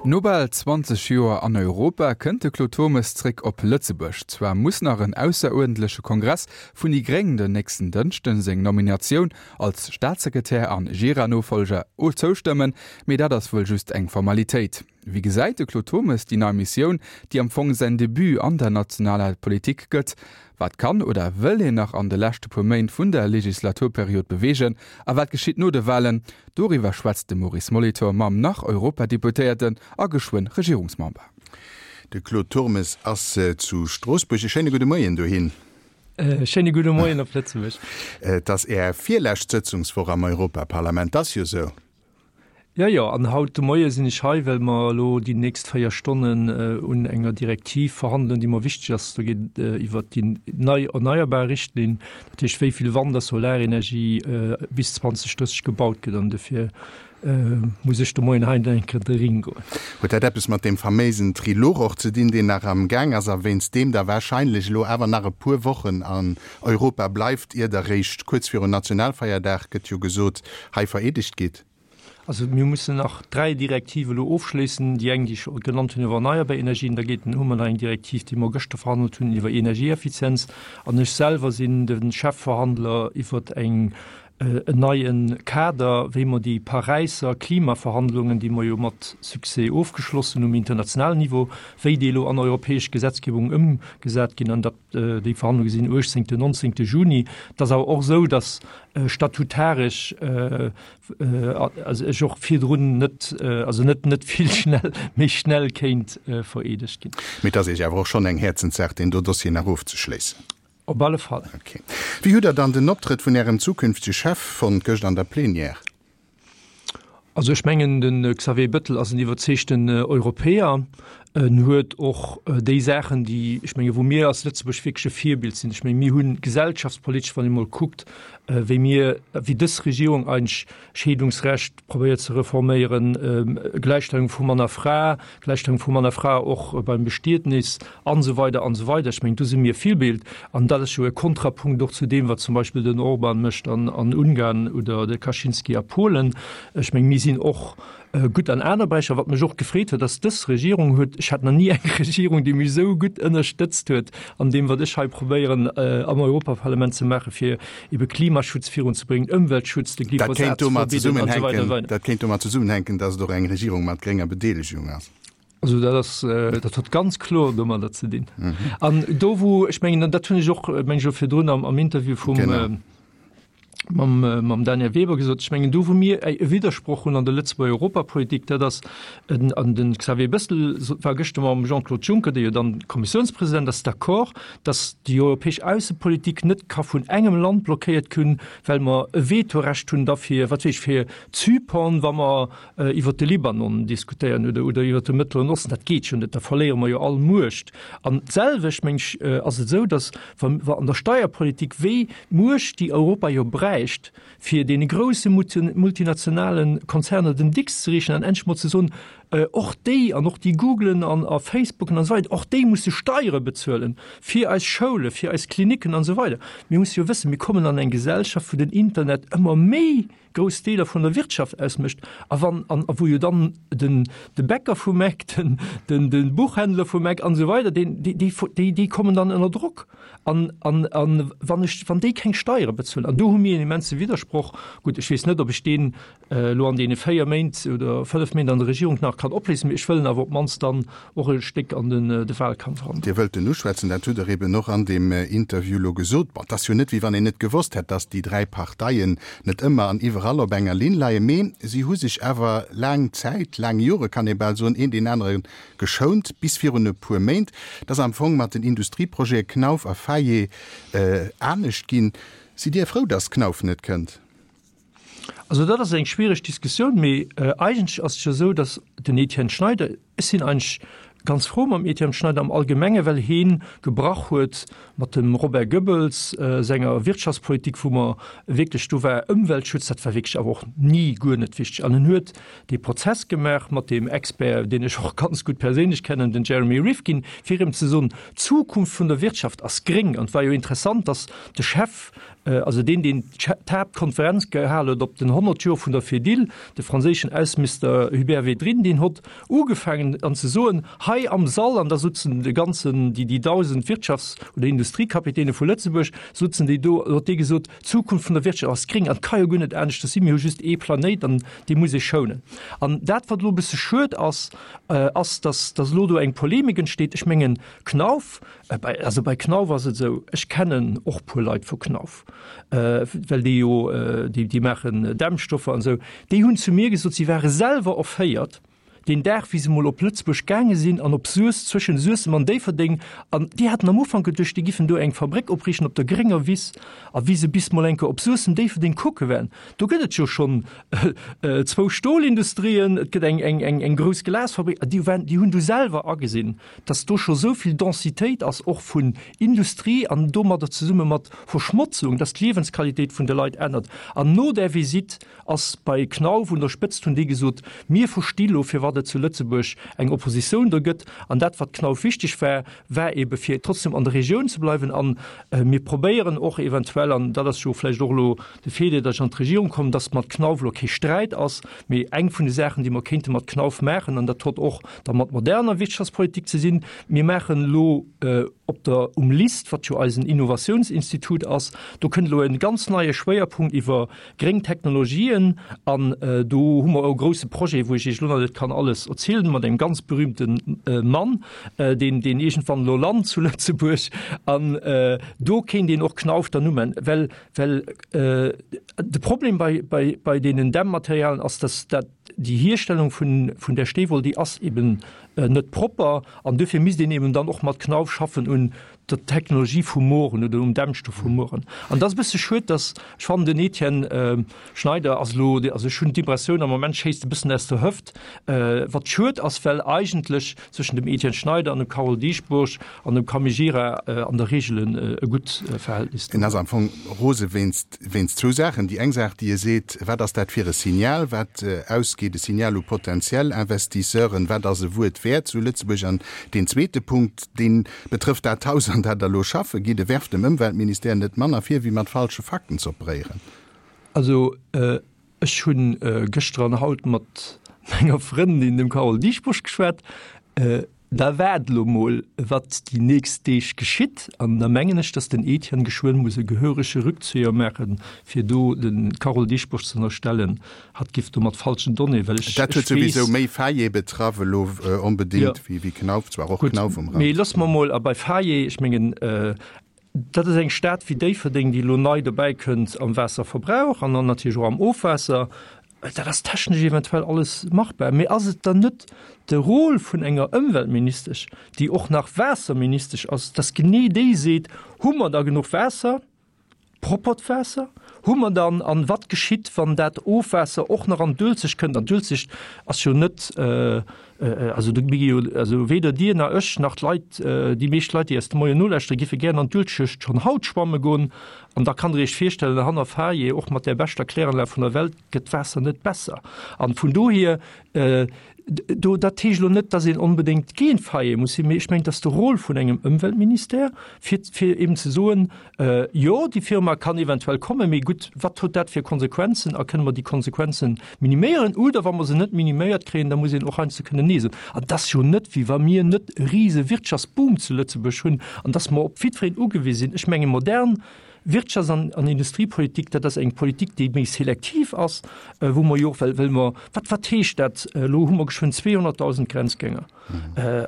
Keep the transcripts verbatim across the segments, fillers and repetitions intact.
No bal zwanzeg Joer an Europa kënnt de Claude Turmes zréck op Lëtzebuerg. Zwar muss nach en ausseruerdentleche Kongress vun déi Gréng den nächsten Dënschden seng Nominatioun als Staatssekretär an Gira-Nofollger zoustëmmen, mee dat ass wuel just eng Formalitéit. Wéi gesäit de Claude Turmes déi nei Missioun, déi am Fong säin Debut an der nationaler Politik gëtt? Wat kann oder wëll hien nach an de leschte puer Méint vun der Legislaturperiod beweegen? A wat geschitt no de Walen? Doriwwer schwätzt de Maurice Molitor mam Nach-Europadeputéierten a geschwënn Regierungsmember. De Claude Turmes ass zu Stroossbuerg. E schéine gudde Moien dohin. Schéine gudde Moien op Lëtzebuerg. Et ass Är virlescht Sëtzungswoch am Europaparlament, ass jo sou? Jo, jo, an haut de Moie sinn ech hei, well mer elo déi nächst véier Stonnen un enger Direktiv verhandelen, déi mer wichteg ass. Do geet et iwwert déi nei erneierbar Richtlinn, dat heescht, wéi vill Wand a Solarenergie bis zwanzeg drësseg gebaut gëtt. An dofir muss ech de Moien hei eng Kéier de Ring goen. Huet dat eppes mat deem faméisen Trilog och ze dinn, deen nach am Gaang ass a wéinst deem Der wahrscheinlech elo awer nach e puer Wochen an Europa bleift, ier Der réischt kuerz virun Nationalfeierdag, gëtt jo gesot, hei vereedegt gitt? Also mir mussen nach dräi Direktive elo ofschléissen, déi eng, déi ech genannt hunn iwwer erneierbar Energien, da geet, hu mer nach eng Direktiv, déi mer gëschter verhandelt hunn iwwer Energieeffizienz an ech selwer sinn de Chefverhandler iwwer eng, en neie Kader, wéi mer déi Paräisser Klimaverhandlungen, déi mer jo mat Succès ofgeschloss hunn um internationalen Niveau, wéi déi elo an europäesch Gesetzgebung ëmgesat ginn. An dat, déi Verhandlunge sinn uechtzéngten, nonzéngte Juni. Et ass awer och esou, datt statutaresch also ech och virdrun net, also net net vill schnell méi schnell kéint vereedegt ginn. Mee et ass Iech awer och schonn eng Häerzenssaach, deen do Dossier nach ofzeschléissen. Op alle Fall. Ok. Wéi hutt Der dann den Optrëtt vun Ärem zukünftege Chef fonnt gëscht an der Plenière? Also ech mengen, de Xavier Bettel ass en iwwerzeegten Europäer. En huet och déi Saachen, déi, ech menge wou mir als Lëtzebuerg wierklech e Virbild sinn, ech menge mir hunn gesellschaftspolitesch, wann ee mol kuckt, wéi mir, wéi dës Regierung eigentlech Scheedungsrecht probéiert ze reforméieren, Gläichstellung vu Mann a Fra, Gläichstellung vu Mann a Fra och beim Bestietnis an esou weider an esou weider. Ech mengen, do si mir Virbild an dat ass jo e Kontrapunkt och zu deem, wat zum Beispill den Orban mécht an Ungarn oder de Kaczynski a Polen. Ech mengen, mir sinn och gutt an aner Beräicher. Wat mech och gefreet huet, ass, dës Regierung huet, ech hat nach ni eng Regierung, déi mech esou gutt ënnerstëtzt huet an deem, wat ech hei probéieren am Europaparlament ze maachen, fir ebe Klimaschutz virunzebréngen, Ëmweltschutz, de Glyphosat ze verbieden an esou weider. Dat kéint domat zesummenhänken, datt et och eng Regierung mat grénger Bedeelegung ass. Also dat ass, dat huet ganz kloer domadder ze dinn. An do wou, ech mengen, an dat hunn ech och, meng ech, och virdrun am Interview vum, mam, mam Daniel Weber gesot, ech mengen do wou mir e Widdersproch hunn an der Lëtzebuerger Europapolitik, dat ass, an de Xavier Bettel war gëschter mam Jean-Claude Juncker, dee jo dann Kommissiounspresident ass, d'accord, datt déi europäesch Aussepolitik net ka vun engem Land blockéiert ginn, well mer e Vetorecht hunn da fir, wat weess ech, fir Zypern, wa mer iwwert de Libanon diskutéieren oder, oder iwwert de Mëttleren Osten. Dat geet jo net, da verléiere mer jo all Muecht. An d'selwecht, meng ech, ass et esou, datt wa, wa an der Steierpolitik, wéi Muecht, déi Europa jo bräicht, fir deene grousse multinationale Konzerner den Dicks ze reechen an endlech mol ze soen, och déi an och déi Googlen an a Facebooken an esou weider, och déi musse Steiere bezuelen fir eis Schoule, fir eis Klinicken an esou weider. Mir musse jo wëssen, mir kommen an eng Gesellschaft, wou den Internet ëmmer méi grouss Deeler vun der Wirtschaft ausmécht a wann an a wou jo dann den de Bäcker vum Eck, den den de Buchhändler vum Eck an esou weider, deen déi déi déi déi kommen dann ënner Drock an an an wann ech wann déi keng Steiere bezuelen. An do hu mir en immense Widdersproch. Gutt, ech weess net, ob ech deen elo an deene véier Méint oder fënnef Méint an der Regierung nach kann opléisen, mee ech wëll en awer op d'mannst dann och e Stéck an den de Wahlkampf eran. Dir wëllt en uschwätzen, dat hutt Der eben och an deem Interview elo gesot. Bon, et ass jo net, wéi wann een net gewosst hätt, datt déi dräi Parteien net ëmmer an iwwerall op enger Linn leien, mee si hu sech awer laang Zäit, laang Jore kann ee bal soen, een deen anere geschount, bis virun e puer Méint. Et ass am Fong mat den Industrieprojete Knauf a Faye anescht ginn. Sidd Dir frou, datt Knauf net kënnt? Also dat ass eng schwiereg Diskussioun, mee eigentlech ass et jo esou, datt den Etienne Schneider, ech sinn eigentlech ganz frou mam Etienne Schneider am Allgemenge well heen gebrach huet mat dem Robert Goebbels senger Wirtschaftspolitik, wou mer wierklech, do war Ëmweltschutz, dat war wierklech awer och ni guer net wichteg. An en huet dee Prozess gemaach mat deem Expert, deen ech och ganz gutt perséinlech kennen, den Jeremy Rifkin, fir erëm ze soen, d'Zukunft vun der Wirtschaft ass gréng. An et war jo interessant, datt de Chef also deen, deen d'Haaptkonferenz gehal huet op den honnert Joer vun der Fedil, de franséischen Ausseminister Hubert Védrine, deen hott ugefaangen an ze soen, hei am Sall, an da sutzen de ganzen, déi, déi dausend Wirtschafts oder Industriekapitäne vu Lëtzebuerg, sutzen déi do, huet dee gesot, d'Zukunft vun der Wirtschaft ass gréng an et ka jo guer net aneschters sinn, mir hu just ee Planéit an dee muss ee schounen. An dat, wat elo e bësse schued ass, ass, dass, dass elo do eng Polemik entsteet. Ech mengen, Knauf, bei, also bei Knauf ass et esou, ech kennen och puer Leit vu Knauf, well déi jo, déi, déi maachen Dämmstoffer an esou, déi hunn zu mir gesot, si ware selwer erféiert deen Dag, wéi se mol op Lëtzebuerg gaange sinn an op Suess, zwëschen Suessem an Déifferdeng, an déi haten am Ufank geduecht, déi giffen do eng Fabréck opriichten op der grénger Wiss, a wéi se bis mol eng Kéier op Suessem, Déifferdeng kucke waren, do gëtt et jo schonn zwou Stolindustrien, et gëtt eng, eng, eng, eng grouss Glasfabréck, a déi waren, déi hunn du selwer agesinn, dass do scho sou vill Densitéit ass, och vun Industrie an domadder zesumme mat Verschmotzung, dass d'Liewensqualitéit vun de Leit ännert. An no där Visitt ass bei Knauf un der Spëtzt, hunn déi gesot, mir versti lo, firwat et zu Lëtzebuerg eng Oppositioun do gëtt. An dat, wat Knauf wichteg war, war ebe fir trotzdem an der Regioun ze bleiwen. An mir probéieren och eventuell, an dat ass jo vläicht och elo de Feeler, datt ech an d'Regierung kommen, datt mat Knauf elo kee Sträit ass, mee eng vun de Saachen, déi mer kéinte mat Knauf maachen, an dat huet och da mat moderner Wirtschaftspolitik ze sinn, mir maachen elo op der um LIST, wat jo eisen Innovatiounsinstitut ass, do kënnt elo e ganz neie Schwéierpunkt iwwer gréng Technologien an do hu mer e grouse Projet, wou ech Iech elo nach net kann alles erzielen, mat engem ganz berühmte Mann, deen deen iergendwann elo lant zu Lëtzebuerg an do kéint een och Knauf dann umen, well well de Problem bei bei bei deenen Dämmmaterialien ass, dass dat déi Hierstellung vun vun där Steewoll, déi ass eben net propper an duerfir misst een eben dann och mat Knauf schaffen un der Technologie vu mueren oder um Dämmstoff vu mueren. An dat ass e bësse schued, dass, ech fannen den Etienne Schneider ass elo, also ech hunn d'Impressioun am Moment schéisst e bëssen aus der Hëft, wat schued ass, well eigentlech zwëschen dem Etienne Schneider an dem Carole Dieschbourg an dem Camille Gira an der Regel e gutt Verhältnis do. En ass am Fong rose wéinst, wéinst zwou Saachen. Déi eng Saach, déi e seet, wat ass dat fir e Signal, wat ausgeet, e Signal u potentiell Investisseuren, wat ass e Wuert wäert zu Lëtzebuerg? An deen zweete Punkt, dee betrëfft dat Haus, an dat Der elo schaffe gitt, e werft dem Ëmweltministère net manner vir, wéi mat falsche Fakten z'operéieren. Also ech hu gëschter an haut mat menger Frëndin, dem Carole Dieschbourg, geschwat. Da waart elo mol, wat déi nächst Deeg geschitt. An da mengen ech, datt den Etienne geschwënn muss e gehörege Rückzieher maachen, fir do dem Carole Dieschbourg ze ënnerstellen, hatt giff do mat falschen Donnéeë, well ech, Dat huet ech weess. souwisou méi Faye betraff elo onbedéngt wéi wéi Knauf, zwar och Gutt, Knauf um Rand. mee loosse mer mol, a bei Faye, ech mengen, dat ass eng Stad wéi Déifferdeng, déi elo nei dobäikënnt am Waasserverbrauch an dann natierlech och am Ofwaasser, Dat ass technesch eventuell alles machbar, mee ass et dann net de Rôle vun enger Ëmweltministesch, déi och nach Waasserministesch ass, dass genee déi seet, Hu mer da genuch Waasser, proppert Waasser? Hu mer dann, an wat geschitt, wann dat Ofwaasser och nach an d'Uelzecht kënnt? An d'Uelzecht ass jo net, also do gi jo, also weder Dir nach ech nach d'Leit, déi meescht Leit, déi eis de Moien nolauschteren, giffe gären an d'Uelzecht schonn haut schwamme goen. An da kann Der Iech virstellen, hanner Faye, och mat där beschter Kläranlag vun der Welt, gëtt d'Waasser net besser. An vun dohier, do, dat heescht elo net, dass een onbedéngt géint Faye muss sinn, mee ech mengen, et ass de Rôle vun engem Ëmweltministère, fir, fir eben ze soen, Jo, déi Firma kann eventuell kommen, mee gutt, wat huet dat fir Konsequenzen a kënne mer déi Konsequenzen miniméieren? Oder wa mer se net miniméiert kréien, da muss een och heiansdo kënnen Nee soen. An et ass jo net, wéi wa mir net e rise Wirtschaftsboom zu Lëtzebuerg hunn an dass mer op jiddwereen ugewise sinn. Ech menge modern Wirtschafts an an Industriepolitik, dat ass eng Politik, déi méi selektiv ass, wou mer jo och, well well mer, wat wat heescht dat, elo hu mer geschwënn zweehonnertdausend Grenzgänger,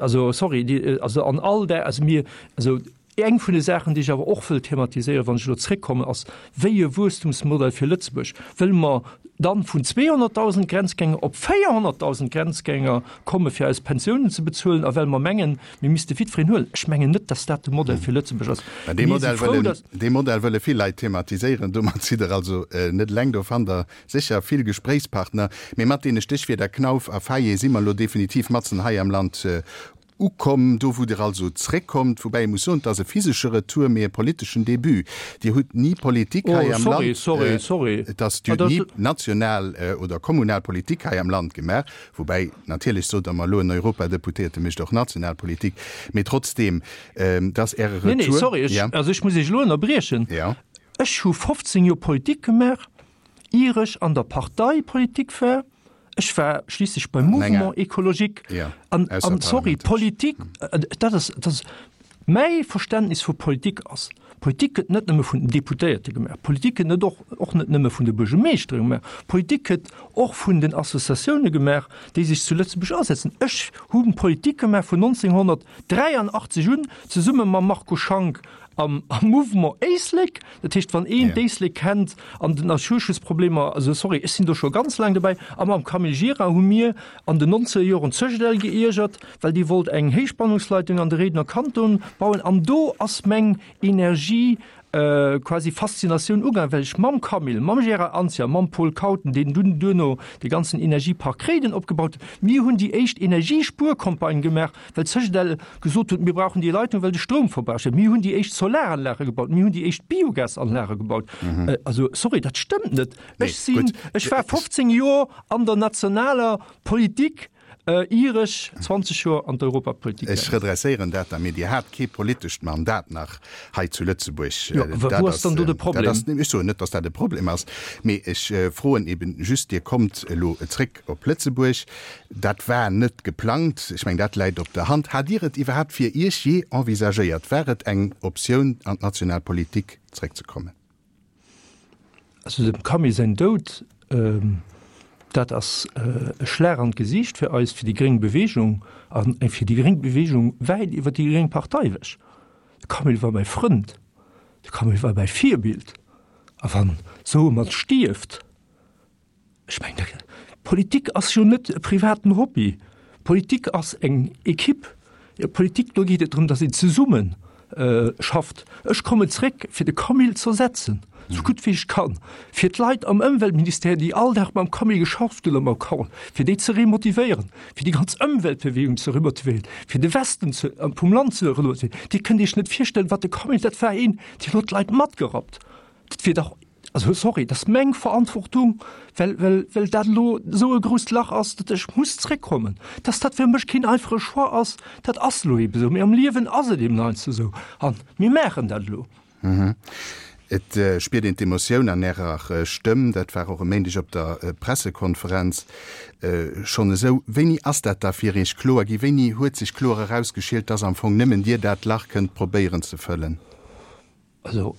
also sorry, déi, also an all där, also mir, also eng vun de Saachen, déi ech awer och wëll thematiséieren, wann ech elo zréckkommen, ass, wéi e Wuesstumsmodell fir Lëtzebuerg wëlle mer dann vun zweehonnertdausend Grenzgänger op véierhonnertdausend Grenzgänger komme fir eis Pensiounen ze bezuelen a well mer mengen, mir misste jiddwereen huelen. Ech mengen net, dass dat de Modell fir Lëtzebuerg ass. Mä dee Mir si Modell frou, wëllen, dass. dee Modell wëlle vill Leit thematiséieren. Domat sidd Der also net eleng. Do fannt Der sécher vill Gespréichspartner. Mee mat deene Stéchwierder Knauf a Faye si mer elo definitiv matzen hei am Land Ukomm, do wou Der also zréckkommt, woubäi ee muss soen, et ass e physesche Retour, mee e politeschen Debut. Dir hutt ni Politik hei Oh, am sorry, Land, sorry, sorry. et ass, Dir Ah, hutt ni dat. national oder kommunal Politik hei am Land gemaach, woubäi natierlech, sot Der mer elo, en Europadeputéierte mécht och national Politik, mee trotzdeem, et ass Äre Nee, nee, Retour. sorry, ech, Ja. also ech muss Iech elo ënnerbriechen. Ja. Ech hu fofzéng Joer Politik gemaach, ier ech an der Partei Politik war. Ech war schliisslech beim Mouvement écologique. An, an sorry, Politik, dat ass, dat ass mäi Verständnis vu Politik ass, Politik gëtt net nëmme vun den Deputéierte gemaach, Politik gëtt net och, och net nëmme vun de Buergermeeschtere gemaach, Politik gëtt och vun den Associatioune gemaach, déi sech zu Lëtzebuerg asetzen. Ech hu Politik gemaach vun neunzehnhundertdräianachtzeg un, zesumme mam Marco Schank am Mouvement Éislek. Dat heescht, wann een d'Éislek kennt an den Naturschutzproblemer, also sorry, ech sinn do scho ganz laang dobäi, a mam Camille Gira hu mir an den nonzeger Joren d'Cegedel geiergert, well déi wollt eng Héichspannungsleitung an de Réidener Kanton bauen. An do ass meng Energie quasi Faszinatioun ugaangen, well ech mam Camille, mam Gérard Anzia, mam Paul Kauten, deen dunn duerno de ganzen Energiepark Réiden opgebaut huet, mir hunn déi éischt Energiespuercampagne gemaach, well d'Cegedel gesot huet, mir brauchen déi Leitung, well de Stroum verbraucht gëtt. Mir hunn déi éischt Solaranlage gebaut, mir hunn déi éischt Biogasanlage gebaut. Also sorry, dat stëmmt net. Ech sinn, ech war fofzéng Joer an der nationaler Politik, ier ech zwanzeg Joer an d'Europapolitik Ech redresséieren dat da, mee Dir hat kee politescht Mandat nach hei zu Lëtzebuerg. Jo, wou ass dann do de Problem? Ech soen net, datt dat e Problem ass, mee ech froen eben just, Dir kommt elo zréck op Lëtzebuerg, dat war net geplangt, ech mengen, dat läit op der Hand. Hat Dir et iwwerhaapt fir Iech jee envisagéiert? War et eng Optioun, an d'national Politik zréckzekommen? Also dem Camille säin Doud, dat ass e Schlag an d'Gesiicht fir eis, fir déi gréng Beweegung a fir déi gréng Beweegung wäit iwwer déi gréng Partei ewech. De Camille war mäi Frënd, de Camille war mäi Virbild. A wann esou e Mann stierft, ech mengen, da, Politik ass jo net e privaten Hobby. Politik ass eng Ekipp. Politik, do geet et drëm, datt een zesumme schafft. Ech kommen zréck, fir de Camille z'ersetzen, esou gutt wéi ech kann, fir d'Leit am Ëmweltministère, déi all Dag mam Camille geschafft hunn a mam Carole, fir déi ze remotivéieren, fir déi ganz Ëmweltbewegung ze remotivéieren, fir de Westen ze, vum Land ze remotivéieren. Dir kënnt Iech net virstellen, wat de Camille, dat war een, deen huet d'Leit matgerappt. Dat wier dach, also sorry, dat ass meng Verantwortung, well, well, well dat elo esou e grousst Lach ass, datt ech muss zréckkommen. Dass dat fir mech keen einfache Choix ass, dat ass elo eebe esou. Mee am Liewen ass et eeben heiansdo esou. A mir maachen dat elo. Et spiert een d'Emotioun an Ärer Stëmm. Dat war och e Méindeg op der Pressekonferenz schonn esou. Wéini ass dat da fir Iech kloer ginn? Wéini huet sech kloer erausgeschielt, dass am Fong nëmmen Dir dat Lach kënnt probéieren ze fëllen? Also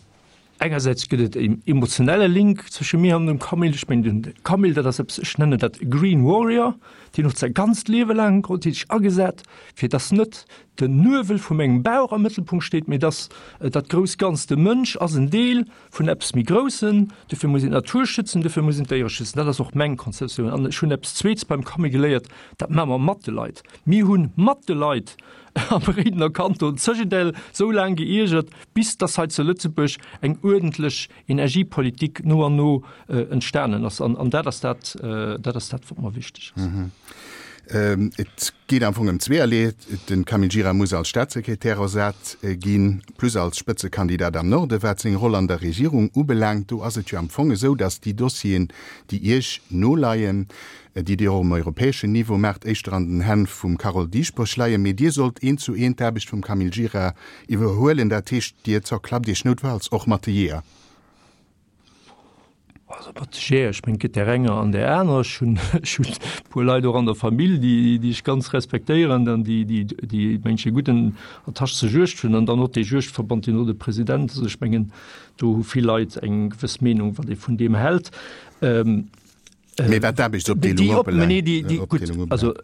engersäits gëtt et en emotionelle Link zwësche mir an dem Camille. Ech mengen, den Camille, dat ass eppes, ech nennen dat e Green Warrior, deen huet säi ganzt Liewe laang huet hie sech agesat, fir dass net den Nuewel vum engem Bauch am Mëttelpunkt steet, mee dass dat grousst Ganzt, de Mënsch ass en Deel vun eppes méi Groussen, dofir muss een d'Natur schützen, dofir muss een d'Déiere schützen. Dat ass och meng Konzeptioun. An ech hunn eppes Zweets beim Camille geléiert, dat maache mer mat de Leit. Mir hu mat de Leit am Réidener Kanton Cegedel sou laang geiergert, bis dass hei zu Lëtzebuerg eng uerdentlech Energiepolitik no an no entstanen ass. An dat ass dat, dat ass dat, wat mer wichteg ass. Et geet am Fong ëm zweeërlee. De Camille Gira muss als Staatssekretär ersat ginn, plus als Spëtzekandidat am Norde. Wat seng Roll an der Regierung ubelaangt, do ass et jo am Fong esou, dass déi Dossieren, déi Iech noleien, déi Dir och um europäeschen Niveau maacht, éischter an den Hänn vum Carole Dieschbourg leien. Mee Dir sollt eent zu eent d'Aarbecht vum Camille Gira iwwerhuelen. Dat heescht, Dir zerklappt Iech noutfalls och mat de Jeeër. Also mat de Jeeër, ech mengen, et gëtt där enger an där aner. Ech hunn, ech hunn e puer Leit och an der Famill, déi, déi ech ganz respektéieren an déi, déi, déi, mengen ech, e gudden Attache zur Juegd hunn. An dann och dee Juegdverband, deen och de President ass. Ech mengen, do hu vill Leit eng gewëss Meenung, wat ee vun deem hält. Mee wat d'Aarbechtsopdeelung ubelaangt. Also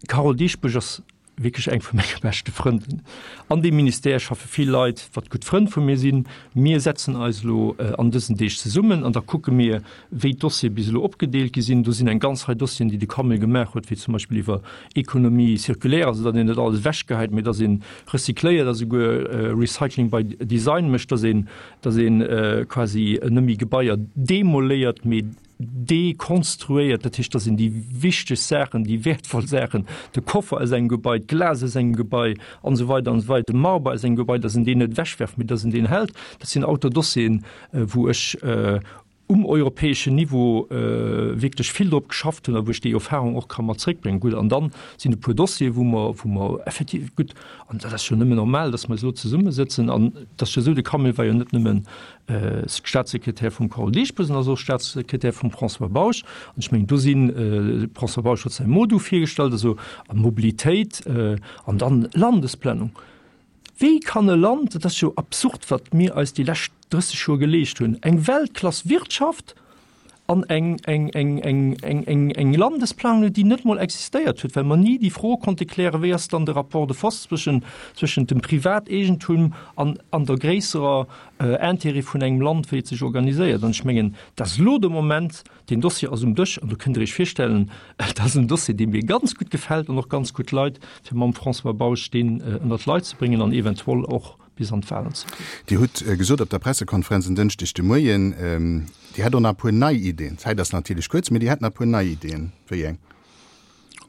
d'Carole Dieschbourg ass wierklech eng vu menge beschte Frënden. An deem Ministère schaffe vill Leit, wat gutt Frënn vu mir sinn. Mir setzen eis elo an dësen Deeg zesummen an da kucke mir, wéi d'Dossiere bis elo opgedeelt gi sinn. Do sinn eng ganz Rei Dossieren, déi de Camille gemaach huet, wéi zum Beispill iwwer Économie circulaire, also datt een net alles ewechgehäit, mee datt ee recycléiert a souguer Recycling by design mécht, datt een, datt ee quasi net méi Gebaier demoléiert, mee dekonstruéiert, dat heescht, da sinn déi wichteg Saachen, déi wäertvoll Saachen, de Koffer aus engem Gebai, d'Glas aus engem Gebai an esou weider an esou weider, de Marber aus engem Gebai, dass een deen net ewechwerft, mee dass een deen hält. Dat sinn auter Dossieren, wou ech um europäeschen Niveau wierklech vill drop geschafft hunn a wou ech déi Erfahrung och ka mat zréckbréngen. Gutt, an dann sinn e puer Dossiere wou mer, wou mer effektiv, gutt, an dat ass jo nëmmen normal, datt mer eis elo zesummesëtzen an et ass jo esou, de Camille war jo net nëmmen Staatssekretär vum Carole Dieschbourg, en ass och Staatssekretär vum François Bausch an ech mengen do sinn, de François Bausch huet säi MoDu virgestallt, also a Mobilitéit an dann Landesplanung. Wéi kann e Land, dat ass jo absurd, wat mir eis déi lescht drësseg Joer geleescht hunn, eng Weltklass-Wirtschaft an eng, eng, eng, eng, eng, eng, eng Landesplanung, déi net mol existéiert huet, well mer ni déi Fro konnte klären, wéi ass dann de Rapport de force zwëschen, zwëschent dem Privateegentum an, an der gréisserer Intérêt vun engem Land, wéi et sech organiséiert. An ech mengen, dat ass elo de Moment, deen Dossier ass um Dësch an do kënnt Der Iech virstellen, dat ass en Dossier, dee mir ganz gutt gefält an och ganz gutt leit, fir mam François Bausch deen ënnert d'Leit ze bréngen an eventuell och bis an d'Wahlen ze bréngen. Dir hutt gesot op der Pressekonferenz en Dënschdeg de Moien, Dir hätt och nach e puer nei Iddien. D'Zäit ass natierlech kuerz, mee Dir hätt nach e puer nei Iddien. Wéi eng?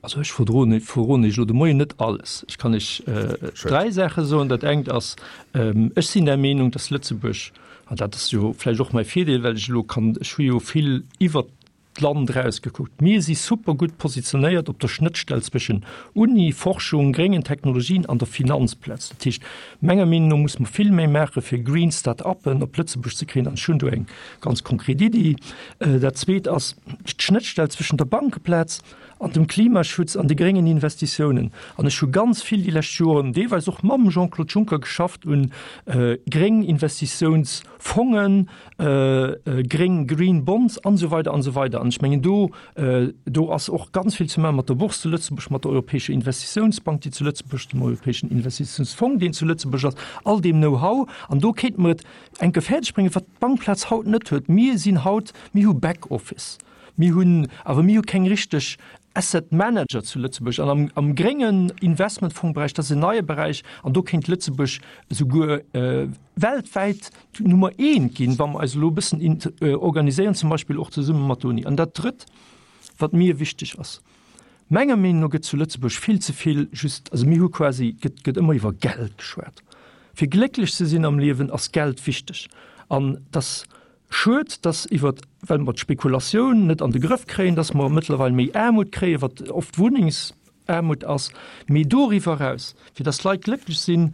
Also ech verdroen, verroden Iech elo de Moien net alles. Ech kann Iech dräi Saache soen. Dat engt ass, ech sinn der Meenung, dass Lëtzebuerg, an dat ass jo vläicht och mäi Virdeel, well ech elo kann, ech hu jo vill iwwert d'Land erausgekuckt, mir si super gutt positionéiert op der Schnëttstell zwëschen Uni, Forschung, gréngen Technologien an der Finanzplaz. Dat heescht, menger Meenung no muss mer vill méi maache fir green Start-uppen op Lëtzebuerg ze kréien an ech hunn do eng ganz konkret Iddi. Dat Zweet ass d'Schnëttstell zwëschen der Bankeplaz an dem Klimaschutz an de gréngen Investitiounen. An ech hu ganz vill déi lescht Joren, deelweis och mam Jean-Claude Juncker, geschafft un gréng Investitiounsfongen, gréng Green Bonds an esou weider an esou weider. An ech mengen, do, do ass och ganz vill ze maachen mat der Bourse zu Lëtzebuerg, mat der Europäescher Investitiounsbank, déi zu Lëtzebuerg, dem Europäeschen Investitiounsfong, deen zu Lëtzebuerg ass, all deem Know-how. An do kéinte mer et eng Kéier fäerdegbréngen, wat d'Bankplaz haut net huet. Mir sinn haut, mir hu Back-Office. Mir hunn, awer mir hu keng richteg Asset Manager zu Lëtzebuerg. An am, am gréngen Investmentfongberäich, dat ass en neie Beräich, an do kéint Lëtzebuerg esouguer weltwäit Nummer eent ginn, wa mer eis elo e bëssen organiséieren, zum Beispill och zesumme mat der Uni. An dat Drëtt, wat mir wichteg ass, Menger Meenung no gëtt zu Lëtzebuerg vill ze vill just, also mir hu quasi, gëtt, gëtt ëmmer iwwer Geld geschwat. Fir glécklech ze sinn am Liewen ass Geld wichteg. An dass Schued, dass iwwert, well mer d'Spekulatioun net an de Grëff kréien, dass mer mëttlerweil méi Aarmut kréien, wat oft Wunnengsaarmut ass. Mee doriwwer eraus, fir dass d'Leit glécklech sinn,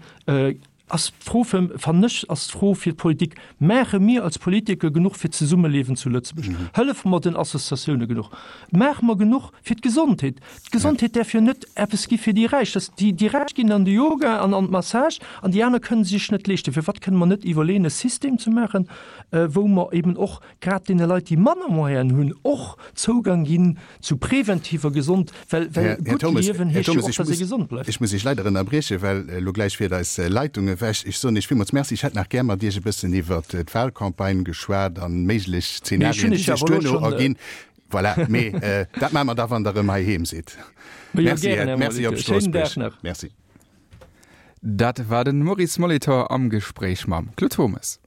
ass d'Fro fir, fannen ech, ass d'Fro fir d'Politik, Maache mir als Politiker genuch fir d'Zesummeliewen zu Lëtzebuerg? Hëllefe mer den Associatioune genuch? Maache mer genuch fir d'Gesondheet? D'Gesondheet däerf jo net eppes gi fir déi Räich. Dass déi, déi Räich ginn an de Yoga an an d'Massage an déi aner kënnen se sech net leeschten. Firwat kënne mer net iwwerleeën, e System ze maachen, wou mer eben och grad deene Leit, déi manner Moyenen hunn, och Zougang ginn zu preventiver Gesond, well, well Här gutt Turmes, Liewen Här heescht jo Turmes, och, ech dass ee muss, gesond bleift. ech muss Iech leider ënnerbriechen, well elo gläich fiert eis Leitung ewech. Ech soen Iech villmools Merci. Ech hätt nach gär mat Iech e bëssen iwwert d'Wahlcampagne geschwat an méiglech Mee ech hunn Zenarien, déi Iech sech awer elo duerno schonn. erginn. Voilà, mee dat maache mer da, wann Der erëm heiheem sidd. Ma jo, Merci, gären, Här, Här Merci op Molitor. Schéinen Dag Stroossbuerg. nach. Merci. Dat war den Maurice Molitor am Gespréich mam Claude Turmes.